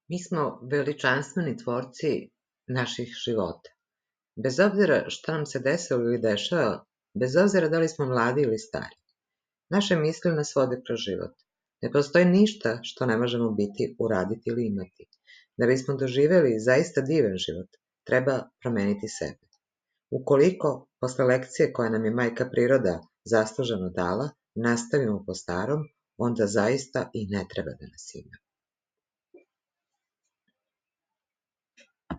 Mi smo veličanstveni tvorci naših života. Bez obzira šta nam se desilo ili dešava, bez obzira da li smo mladi ili stari, naše misli nas vode kroz život. Ne postoji ništa što ne možemo biti, uraditi ili imati. Da bismo doživeli zaista divan život, treba promeniti sebe. Ukoliko, posle lekcije koja nam je majka priroda zasluženo dala, nastavimo po starom, onda zaista i ne treba da nas ima.